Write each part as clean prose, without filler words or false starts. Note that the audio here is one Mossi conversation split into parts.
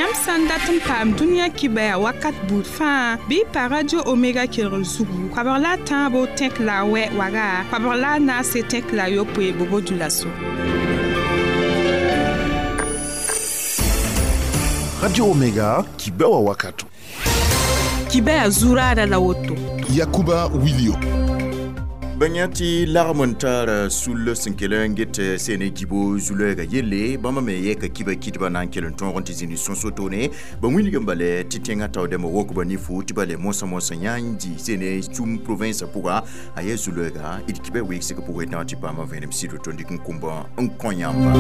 Yãmb sã n dat n paam dũniyã kibaya wakat buud fãa bɩ y pa Radio Omega kelgr zugu koabg la a tãabo tẽk la a wɛ waga koabg la a naase tẽk la a yopoe bobo dulaso. Radio Omega kibewa wakato. Kibaya zurada la woto. Yakuba Wilio. Bãyã tɩ lagm n tar sul sẽn kell n get sene gibo zu-loɛɛgã yelle bãmba me yɛka kiba kɩdbã na n kell n tõog n tɩ zĩnd sõs wotone ba wilg n bale tɩ tẽngã taoodãmbã wokba nifu tɩ bale mosã mosã yã n dɩ sene sum province pʋga a yaa zu-loɛɛga d kiba weegsg pʋgẽ tã tɩ paama vẽenem sɩd woto n dɩk n kũmba n kõ yãmba.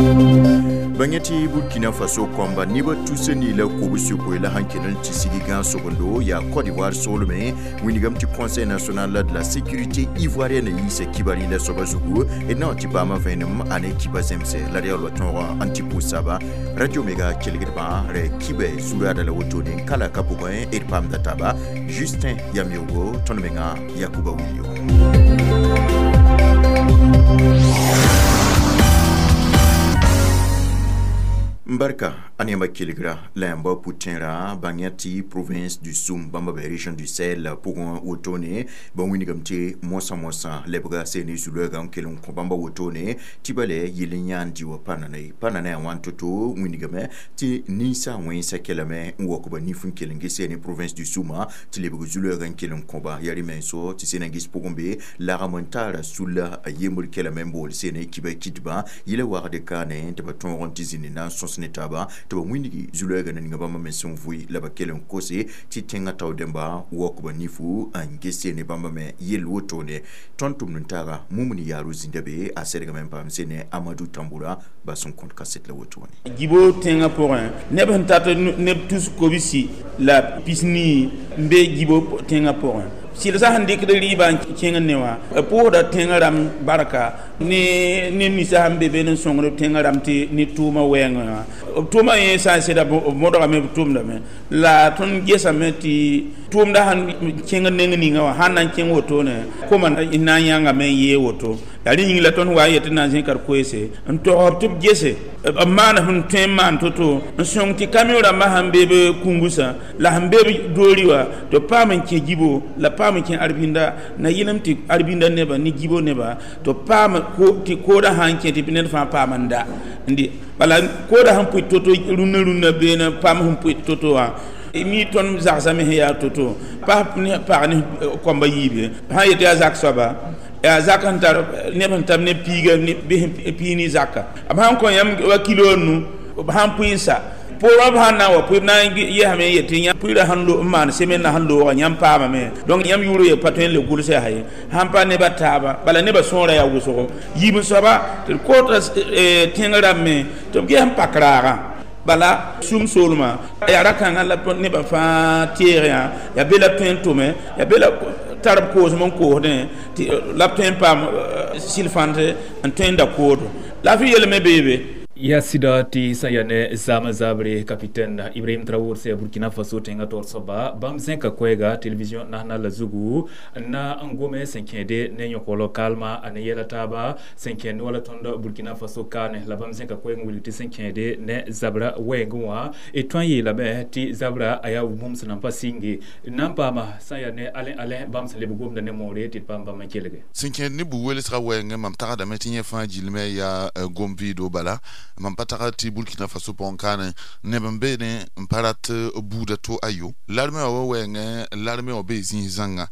Bãyã tɩ Burkina Faso kõmba nebã tusa ni la kobs yopoe la sãn kell n tɩ sig gãag-sobendo yaa Côte d'Ivoire soolmẽ wilgame tɩ Conseil national de la sécurité ivoirienne yiisa kiba rĩnda soaba zugu d na n tɩ paama vẽenem a ne kiba zẽmse la d yaool wa tõog n tɩ pʋʋs saba. Radio Omega kelgdbã rɛ kiba zuraada la wotone n kala ka pʋgẽ d paamda taaba Justin Yameogo tõnd menga Yakuba Wilio. Mbarka ane yãmba kelgra la yãmba pʋ-tẽera bãng tɩ province du Soum bãmba be région du Sahel pʋgẽ wotone ba wilgame tɩ mosã mosã lebga sene zu-loɛɛgã n kell n kõ bãmba wotone tɩ bale yel n yãan dɩ wã pa nana ye pa nana yaa wãn to-to wilgame tɩ ninsã wẽnsã kelame n waok ba nif n kell n ges sene province du Soumã tɩ lebg zu-loɛɛgã n kell n kõba yaa rẽ-menso tɩ sena ges pʋgẽ be lagm n taara sulla a yembr kelame n bool sene kiba kɩdbã yela wagd kaane tɩ ba tõog n tɩ zĩnd na n sõs ne taaba tɩ ba wĩndgi zu-loɛɛgã na ninga bãmba me sẽn vʋɩ la ba kell n kose tɩ tẽngã taoodẽmba waok ba nifu n ges ne bãmba me yell wotone tõnd tʋmd n taaga mumni yaaro zĩnda be a sɛdgame n paam sene Amadou Tamboura ba sẽn kõt kaset la wotone. Gibo tẽngã pʋgẽ neb sẽn tat neb tus kobsi la pisnii n be gibo tẽngã pʋgẽ sɩlsã sẽn dɩkd rɩɩbã n kẽng ne wã pʋʋsda tẽngã rãmb barka ne ninsã sẽn be be n sõngd tẽngã rãmb tɩ ne tʋʋmã wɛɛngẽ wã b tʋʋmã yẽ sã n sɩda b modgame b tʋmdame la tõnd gesame tɩ tʋʋmda sẽn kẽng neng ninga wã sãn na n kẽng wotone koma n na n yãngame n yee woto la rẽ yĩng la tõnd wa n yetɩ na n zẽka d koeese n togsb tɩ b gese b maan sẽn tõe n maan to-to n sõng tɩ kamiõ rãmbã sẽn be b kũngusã la sẽn be b doori wã tɩ b paam n kẽ gibo la paam n kẽ arbinda na yɩlem tɩ arbinda nebã ne gibo nebã tɩ b paam tɩ koodã sã n kẽ tɩ ned fãa paam n da n dɩ bala koodã sẽn pʋɩ to-to rũnnã rũnnã beene paam sẽn pʋɩ to-to wã mi tõnd zagsame sẽn yaa to-to pas ne pag ne kõmba yiib ye sã n yetɩ yaa zak soaba yaa zak sẽn tar neb sẽn tab ne piiga bɩ pii ne zaka b sãn kõ yãmb wa kilo nu b sãn pʋɩ n sa poorã b sãn na n wa pʋɩ b na n yesame n yetɩ yãmb pʋɩɩrã sẽn n maan semen na sẽn looga yãmb paamame donc yãmb yʋʋr ye pa tõe n le gʋlsɛ yaa ye sãn pa nebã taaba bala nebã sõora yaa wʋsgo yiib n soaba tɩ d koota tẽng rãmb me tɩ b ges n pak raagã bala sum soolmã yaa ra-kãngã la nebã fãa teeg yã yaa be la b tõe n tʋme yaa be la tar b koosem n koosdẽ tɩ la b tõe n paam sɩl-fãnt n tõe n da koodo la f yelme beebe. Ya sida tɩ sã yaa ne zaamã zabre capitaine Ibrahim Traoré sã Burkina Faso tẽngã taoor soaba bãmb zẽka koɛɛga télévision national zugu na n gome sẽn kẽede ne yõkolo kalma a ne yɛla taaba sẽn kẽnd wala tõnd Burkina Faso kaane la bãmb zẽka koɛɛg n wilg tɩ sẽn kẽede ne zabra wɛɛngẽ wã d tõe n yeelame tɩ zabra a yaa bũmb sẽn nan pa sɩnge n na n paama sã yaa ne alẽ alẽ bãmb sẽn leb gomda ne moore tɩ d paam bãmb n kelge. Sẽn kẽed ne bu-welsgã wɛɛngẽ mam tagsdame tɩ yẽ fãa gilmɛ yaa gom-vɩɩdo bala mam pa tagd tɩ Burkina Faso pʋgẽ kaane neb n beene n pa rat buuda to ayo larme wã wa wɛɛngẽ larme wã bee zĩis zãnga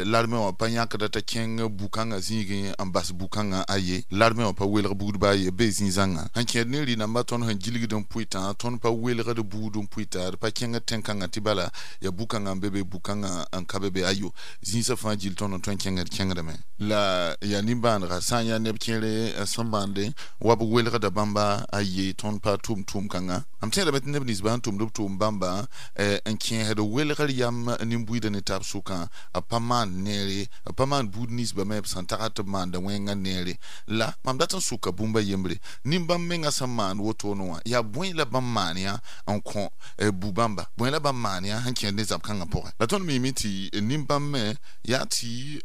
larme wã pa yãkda t'a kẽng bu-kãngã zĩigẽ n bas bu-kãngã aye larme wã pa welg buudba aye bee zĩig zãnga sẽn kẽed ne rɩ-nambã tõnd sẽn gilgd n pʋɩtã tõnd pa welgd buud n pʋɩta d pa kẽngd tẽn-kãngã tɩ bala yaa bu-kãngã n be be bu-kãngã n ka be be ayo zĩisã fãa gill tõnd n tõe n kẽngd kẽngdame la yaa nimbãanega sã n yaa neb kẽere sẽn bãande wa b welgda bãmba a ye tõnd pa tʋʋm tʋʋm-kãngã mam tẽedame tɩ neb nins sẽn tʋmd b tʋʋm bãmba n kẽesd welgr yam nin-buiidã ne taab sʋkã b pa maand neere b pa maan buud ninsbã me b sẽn tagd tɩ b maanda wẽngã neere la mam dat n sʋka bũmba yembre nin-bãmb mengã sẽn maan wotone wã yaa bõe la bãmb maan yã n kõ bu-bãmba bõe la bãmb maan yã sẽn kẽed ne zab-kãngã pʋgẽ la tõnd miime tɩ nin-bãmb me yaa tɩ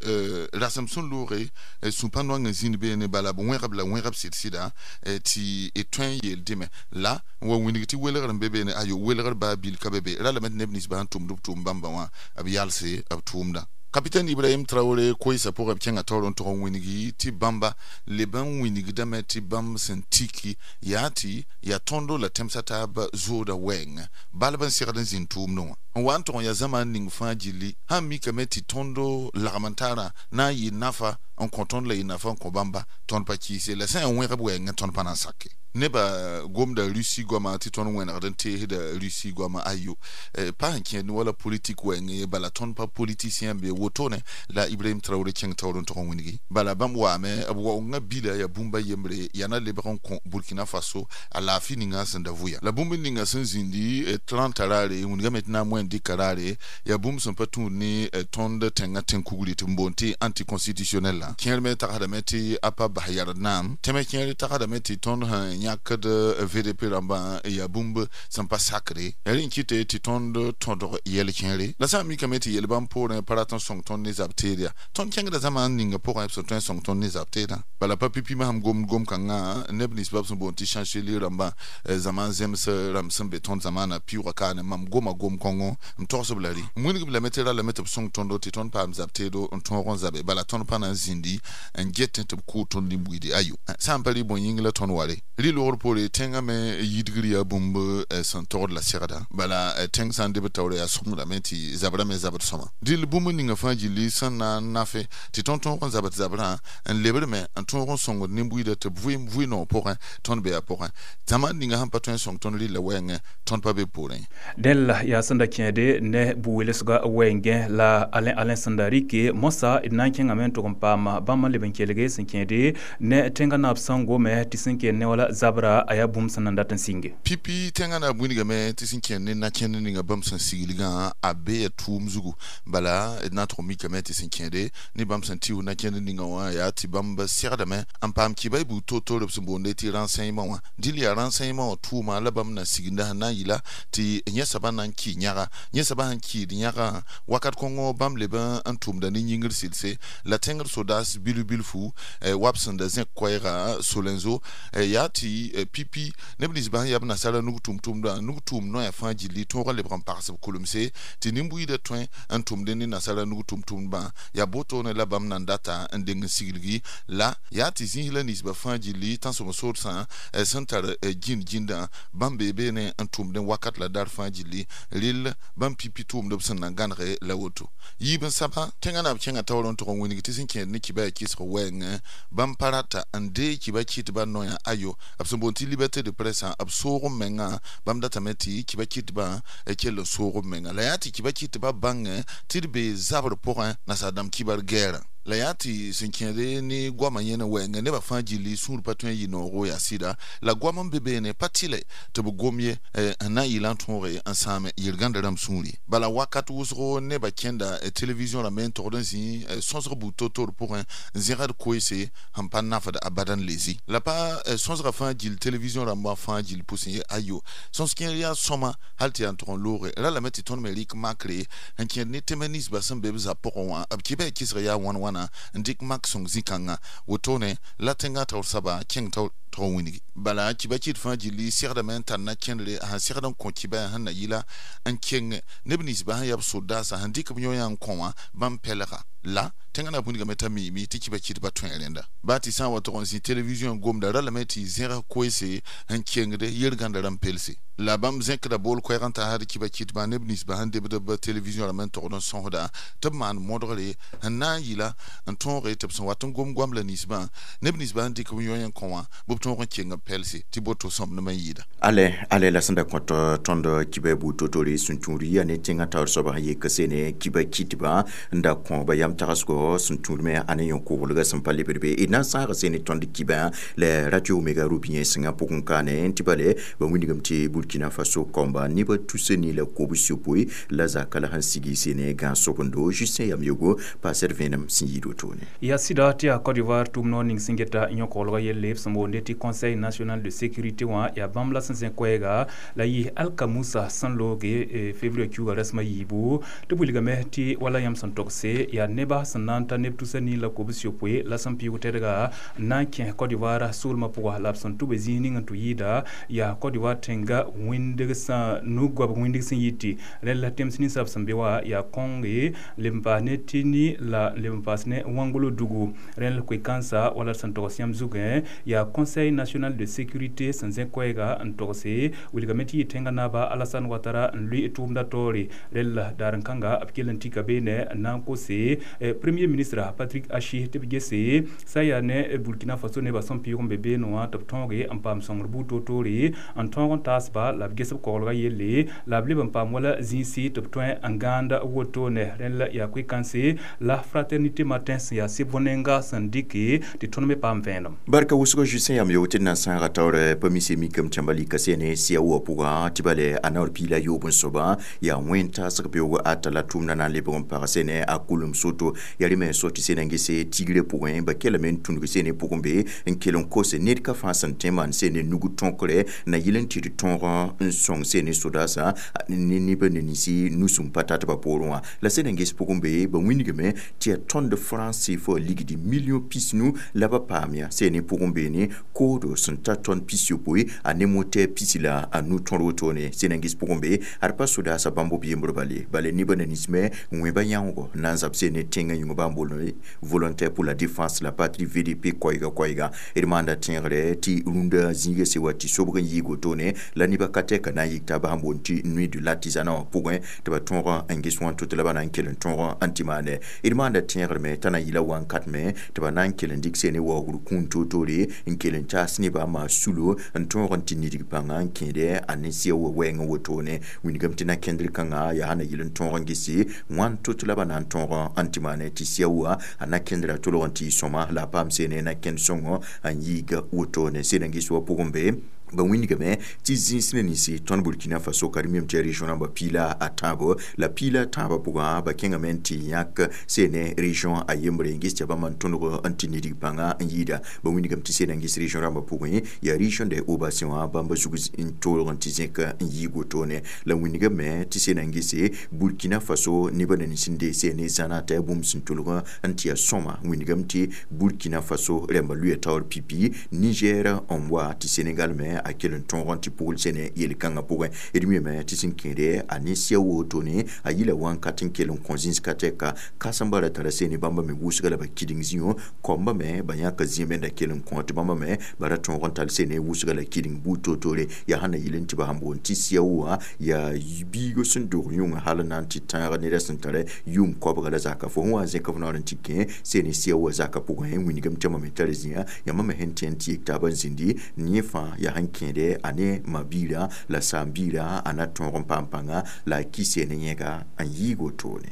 rasem sẽn looge sũ-pã-noang n zĩnd beene bala b wẽgb la wẽgb sɩd-sɩda tɩ tõe n yeel dɩme la n wa wĩnig tɩ welgr n be beene ayo welgr baa bil ka be be ra lame tɩ neb nins sẽn tʋmd b tʋʋm bãmba wã b yalse b tʋʋmdã. Capitaine Ibrahim Traoré koɩsa pʋgẽ b kẽnga taoor n tog n wĩnigi tɩ bãmba leb n wĩnigdame tɩ bãmb sẽn tiki yaa tɩ yaa tõndo la tẽmsã taab zooda wɛɛngẽ balb n segd n zĩnd tʋʋmdẽ wã n wa n tog n yaa zãma n ning fãa gilli sãn mikame tɩ tõndo lagm n taarã na n yɩ nafa n kõ tõnd la yɩ nafa n kõ bãmba tõnd pa kiise la sã n wẽgb wɛɛngẽ tõnd pa na n sake. Neba gomda Russie goama tɩ tõnd wẽnegd n teesda Russie goama ayo pa sẽn kẽed wala politik wɛɛngẽ bala tõnd pa politicien be wotone la Ibrahim Traoré kẽng taoor n tog n wĩnigi bala bãmb waame b waoongã bila yaa bũmba yembre yaa na lebg n kõ Burkina Faso a laafɩ ninga sẽn da vʋya la bũmb ninga sẽn zĩndi 30 raare wĩnigame tɩ na n moẽ dɩka raare yaa bũmb sẽn pa tũud ne tõnd tẽngã tẽn-kugri tɩ n boond tɩ anticonstitutionnel la kẽer me tagsdame tɩ a pa bas yard naam tẽmɛ kẽer tagsdame tɩ tõnd sẽn yãkd VDP rãmbã yaa bũmb sẽn pa sakre ya rẽ n kɩte tɩ tõnd tõdg yɛl kẽere la sã n mikame tɩ yel bãmb poorẽ pa rat n sõng tõnd ne zab teed yaa tõnd kẽngda zãma n ninga pʋgẽ b sẽn tõe n sõng tõnd ne zab teedã bala pa pipimã sẽn gomd gom-kãngã neb nins b sẽn boond tɩ chancelier rãmbã zãma n zems rãmb sẽn be tõnd zamaana pɩʋʋga kaane mam goma gom-kõngo n togsb la rɩ n wĩnigb lame tɩ ra lame tɩ b sõng tõndo tɩ tõnd paam zab teedo n tõog n zabe bala tõnd pa na n zĩndi n get tɩ b kʋʋ tõnd nin-buiidi ayo sã n pa rɩ bõe yĩng la tõnd ware rɩ logr poore tẽngã me yidgr yaa bũmb sẽn togd la segda bala tẽng sã n deb taoora yaa sõngdame tɩ zabra me zabd sõma dɩl bũmb ninga fãa gilli sẽn na n nafe tɩ tõnd tõog n zabd zabrã n lebrme n tõog n sõngd nin-buiida tɩ b vɩ noog pʋgẽ tõnd be yaa pʋgẽ zãma ninga sẽn pa tõe n sõng tõnd rɩlla wɛɛngẽ tõnd pa be poorẽ. Dẽl yaa sẽn da kẽede ne bu-welsga wɛɛngẽ la Alain sẽn da rɩke moasã d na n kẽngame n tʋg n paam bãmb n leb n kelge sẽn kẽede ne tẽngã naab sẽn gome tɩ sẽn kẽed ne wala zabra a yaa bũmb sẽn nan dat n sɩnge. Pipi tẽngã naab wĩnigame tɩ sẽn kẽnd ne na-kẽnd ninga bãmb sẽn siglgã a be ya tʋʋm zugu bala d na n tʋg mikame tɩ sẽn kẽede ne bãmb sẽn tɩʋ na-kẽnd ninga wã yaa tɩ bãmb segdame n paam kɩba y buud toor-toor b sẽn boonde tɩ renseignement wã dɩl yaa renseignement wã tʋʋma la bãmb na siginda sẽn na n yɩla tɩ yẽ soabã na n kɩ yãga yẽ soabã sẽn kɩɩd yãgã wakat kõngo bãmb leb n tʋmda ne yĩngr sɩlse la tẽngr sodaas bilf-bilfu wa b sẽn da zẽk koɛɛga solenzo yaa tɩ pipi neb nins sẽn yaa b nasara nug tʋm-tʋmdã nug tʋʋm noya fãa gilli tõog n lebg n pags b kulemse tɩ nin-buiidã tõe n tʋmd ne nasara nug tʋm-tʋmdbã yaa botone la bãmb nan data n deng n siglgi la yaa tɩ zĩis la ninsbã fãa gilli tãnsem soodsã sẽn tar gĩnd gĩndã bãmb bee beene n tʋmd wakat la dar fãa gilli rell bãmb pipi tʋʋmd b sẽn na gãnege la woto yiib n saba tẽngã naab kẽngã taoor n tog n wĩnig tɩ sẽn kẽed ne kibã yaa kɩsg wɛɛngẽ bãmb pa rata n dee kibã kɩtbã noyã ayo b sẽn boond tɩ liberté de presse b soog n mengã bãmb datame tɩ kibã kɩtbã kell n soog b menga la yaa tɩ kibã kɩtbã bãngẽ tɩ d bee zabr pʋgẽ nasaar dãmb kibar gɛɛrã la yaa tɩ sẽn kẽede ne goamã yẽne wɛɛngẽ nebã fãa gilli sũur pa tõe n yɩ noogo yaa sɩda la goam n be beene pa tɩlɛ tɩ b gom ye n na n yɩla n tõoge n sãame yel-gãnda rãmb sũuri bala wakat wʋsgo nebã kẽnda télévision rãmb n togd n zĩ sõsg buud to-toor pʋgẽ n zẽgd koeese sẽn pa nafd abadan lezi la pa sõsga fãa gill télévision rãmbã fãa gill pʋsẽ ye ayo sõs kẽer yaa sõma hal tɩ yaa n tog n looge ra lame tɩ tõnd me rɩk makre n kẽed ne tẽmɛ ninsbã sẽn be b zab pʋgẽ wã b kɩba yaa kɩsg yaa wãn wãna n dɩk mak sõng zĩ-kãngã wotone la tẽngã taoor soaba kẽng taoor tog n wĩnigi bala kibã kɩt fãa gilli segdame n tar na kẽndre sẽn segd n kõ kibã sẽn na yɩla n keng neb ninsbã sẽn yaa b sodaasã sẽn dɩk b yõ-yã n kõ wã bãmb pɛlga la tẽngã na wĩnigame t'a miime tɩ kibã kɩtbã tõe rẽnda baa tɩ sã n wa tog n zĩ télévision gomda ra lame tɩ zẽg koeese n kengde yel-gãnda rãmb pelse la bãmb zẽkda bool koɛɛg n taasd kibã kɩtbã neb ninsbã sẽn debd b télévision rãmb n togd n sõsda tɩ b maan modgre n na n yɩla n tõoge tɩ b sẽn wat n gom goam la ninsbã neb ninsbã sẽn dɩk b yõ-yẽ kõ wã bɩ b tõog n keng b pelse tɩ boto sõmdem n yɩɩda. Ale la sẽn da kõt tõnd kibã buud to-toore sẽn tũud yaa ne tẽngã taoor soabã sẽn yek sene kibã kɩtbã n da kõ ba yam tagsgo sẽn tũud me a ne yõ-koglgã sẽn pa lebd be d na n sãag sene tõnd kibã la Radio Omega rubiyẽ sẽngã pʋgẽ kaane n tɩ bale ba wĩnigame tɩ Burkina Faso kɔmba nebã tusa ni la kobs yopoe la zaka la sẽn sigi sene gãag sobendo Justin Yamyogo paasd vẽenem sẽn yɩɩd wotone. Yaa sɩda tɩ yaa Côte d'Ivoire tʋʋm noor ning sẽn geta yõ-koglgã yelle b sẽn boonde tɩ tɩ Conseil national de sécurité wã yaa bãmb la sẽn zẽ koɛɛga la yɩ Alka Musa sẽn looge février kiuga rasmã yiibu tɩ b wilgame tɩ wala yãmb sẽn togse yaa neba sẽn na n ta neb tusa nii la kobs yopoe la sẽn pɩʋʋg tɛdga n na n kẽ Côte d'Ivoire soolmã pʋga la b sẽn tʋ be zĩig ning n tʋ yɩɩda yaa Côte d'Ivoire tẽnga wĩndg sã nu-goabg wĩndg sẽn yiti rẽnd la tems ninsab sẽn be wa yaa kõnge leb n paas ne Tini la leb n paas ne Wangolo dugu rẽnd la koe-kãnsa wala sẽn togs yãmb zugẽ yaa Conseil national de sécurité sẽn zẽ koɛɛga n togse wilgame tɩ yɩ tẽngã naaba Alassane Ouattara n lʋɩ tʋʋmda taoore rẽnd la daar n kãnga b kell n tika beene n na n kose premier ministre Patrick Achi tɩ b gese sã n yaa ne Burkina Faso nebã sẽn pɩʋʋg n be beene wã tɩ b tõoge n paam sõngr buud toor-toore n tõog n taasba la b ges b koglga yelle la b leb n paam wala zĩisi tɩ b tõe n gãand wotone rẽnd la yaa koe-kãnse la Fraternité Matin sẽn yaa sɩb bõn-nenga sẽn dɩke tɩ tõnd me paam vẽenem. Barka wʋsgo Justin yam yo tɩ d na n sãaga taoor pa mise mikame tẽmba lika sene sia wã pʋgã tɩ bale a naoor piila yoob n soaba yaa wẽn-taasg beoog ata la tʋʋmda na n lebg n pag sene a kulem soto yaa rẽ me so tɩ sena n gese tigrã pʋgẽ ba kelame n tũnug sene pʋgẽ be n kell n kose ned ka fãa sẽn tõe n maan sene nug tõkre na yɩl n tɩ d tõog n sõng sene sodaasã ne neb ne ninsi nus n pa tat ba poorẽ wã la sẽn n ges pʋgẽ be ba wĩnigame tɩ yaa tõnd franc CFA ligdi million pisnu la ba paam yã sene pʋgẽ beene koodo sẽn ta tõnd pis yopoe a ne motɛɛ pisi la a nu tõr wotone sẽn n ges pʋgẽ be ad pa sodaasã bãmb b yembr bale bale nebã na ninsmẽ wẽba yãoogo na n zab sene tẽngã yĩng bãmb bool volontaire pour la défense la patrie VDP koɛɛga koɛɛga d maanda tẽegre tɩ rũndã zĩiga se wa tɩ sobg n yɩɩg wotone la nebã ka tɛka na n yik taaba sẽn boond tɩ nuit de l'artisanat wã pʋgẽ tɩ ba tõog n ges wã tʋ tɩ la ba na n kell n tõog n tɩ maane d maanda tẽegr me t'a na n yɩla wãnkat me tɩ ba na n kell n dɩk sene waoogr kũun toor-toore n kell n taas nebã n maan sulo n tõog n tɩ nidg pãnga n kẽede a ne sia wa wɛɛngẽ wotone wilgame tɩ na-kẽndr kãngã yaa sã na yɩl n tõog n gese wãn tʋ tɩ la ba na n tõog n tɩ maane tɩ sia wa a na-kẽndrã tolg n tɩ y sõma la a paam sene na-kẽnd sõngo n yiiga wotone sẽn n ges wa pʋgẽ be ba wĩnigame tɩ zĩis ne ninsi tõnd Burkina Faso ka d mim tɩ région rãmba piila a tãabo la piila tãabã pʋgã ba kẽngame n tɩ yãk sene région a yembre n ges tɩ bãmb n tõdg n tɩ nidg pãnga n yɩɩda ba wĩnigame tɩ sena n ges région rãmbã pʋgẽ yaa région de Haut-Bassins wã bãmba zug n toolg n tɩ zẽk n yɩɩg wotone la wĩnigame tɩ sena n gese Burkina Faso nebã na nins n dee sene zãna t'a yaa bũmb sẽn tolg n tɩ yaa sõma wĩnigame tɩ Burkina Faso rãmba lʋɩa taoor pipi Niger n wa tɩ Sénégal me a kell n tõog n tɩ pugl sene yel-kãngã pʋgẽ d mime tɩ sẽn kẽede a ne sia wotone a yɩla wãnkat n kell n kõ zĩns ka tɛka kãsembã ra tara sene bãmba me wʋsga la ba kɩdeng zĩo koamba me ba yãka zĩame da kell n kõ tɩ bãmba me ba ra tõog n tall sene wʋsga la kɩdeng buud toor-toore yaa sã na yɩl n tɩ ba sẽn boond tɩ sia wã yaa biigo sẽn dog yũngã hal n na n tɩ tãag neda sẽn tara yʋʋm koabga la zaka fo sẽn wa n zẽk f naoor n tɩ kẽ sene sia wã zaka pʋgẽ wĩnigame tɩ yãmba me tar zĩa yãmba me sẽn tẽ n tɩ yik taabã n zĩndi yẽ fãa yaa sẽn kẽede a ne ma-biirã la saam-biirã a na tõog n paam pãnga la a ki sene yẽga n yɩɩg wotone.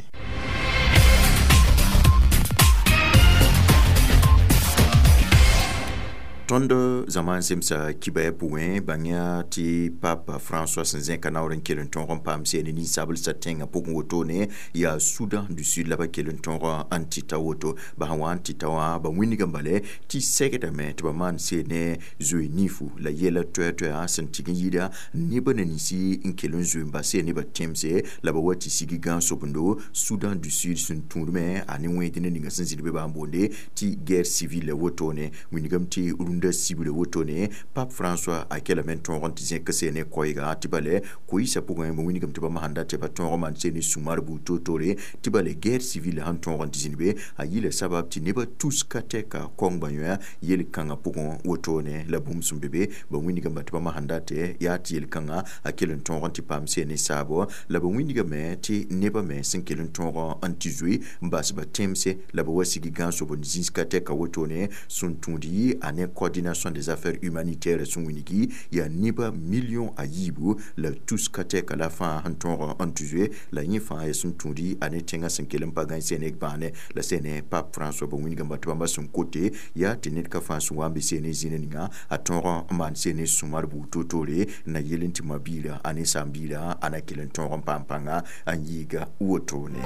Tõnd zãma n zemsa kibaya pʋgẽ bãng-yã tɩ Pape François sẽn zẽka naoor n kell n tõog n paam sene ninsablsã tẽngã pʋgẽ wotone yaa Soudan du Sud la ba kell n tõog n tɩ ta woto ba sẽn wa n tɩ ta wã ba wĩnigame bale tɩ segdame tɩ ba maan sene zoe nifu la yɛla toɛ-toɛa sẽn tɩg n yɩɩda nebã na ninsi n kell n zoe n bas nebã tẽmse la ba wa tɩ sig gãan-sobendo Soudan du Sud sẽn tũudme a ne wẽed ne ninga sẽn zĩnd be bã n boonde tɩ guerre civile wotone wĩnigame tɩ rũndã sibre wotone Pape François a kelame n tõog n tɩ zẽk sene koɛɛga tɩ bale koɩɩsã pʋgẽ ba wĩnigame tɩ bãmb sãn dat tɩ ba tõog n maan sene sũ-mar buud toor-toore tɩ bale guerre civile sẽn tõog n tɩ zĩnd be a yɩla sabab tɩ nebã tus ka tɛka kõng yõ yel-kãngã pʋgẽ wotone la bũmb sẽn be be ba wĩnigame tɩ bãmb sãn dat yaa tɩ yel-kãngã a kell n tõog n tɩ paam sene saabo la ba wĩnigame tɩ nebã me sẽn kell n tõog n tɩ zoe n bas ba tẽmse la ba wa sig gãan-sob n zĩis ka tɛka wotone sẽn tũud yɩ a ne coordination des affaires humanitaires sẽn wĩnigi yaa nebã million a yiibu la tus ka tɛka la fãa sẽn tõog n tɩ zoe la yẽ fãa yaa sẽn tũudi a ne tẽngã sẽn kell n pa gãe sene bãane la sene Pape François ba wĩnigame tɩ bãmba sẽn kote yaa tɩ ned ka fãa sẽn wa n be sene zĩna ninga a tõog n maan sene sũ-mar buud toor-toore na yel n tɩ ma-biirã a ne saam-biirã a na kell n tõog n paam pãnga n yɩɩga wotone.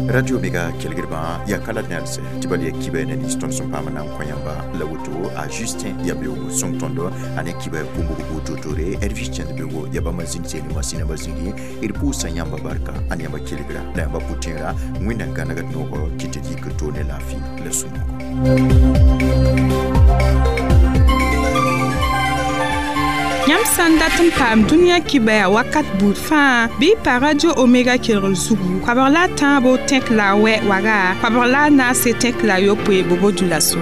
Radio Omega kelgdbã yaa ka la nelse tɩ bal yaa kiba ne nins tõnd sẽn paam n na n kõ yãmba la woto a Justin ya beoogo sõng tõndo a ne kiba bũmb wototore Elvis Chẽnd beoogo ya bãmba zĩnd seene masĩnã ba zĩngi d pʋʋsa yãmba barka a ne yãmba kelgra la yãmba pʋ-tẽera. Wẽnnaam gãnegd noogo kɩ tɩ d yik to ne laafɩ la sũ-noogo. Yãmb sã n dat n paam dũniyã kibaya wakat buud fãa bɩ y pa Radio Omega kelgr zugu koabg la a tãabo tẽk la a wɛ waga koabg la a naase tẽk la a yopoe bobo dulaso.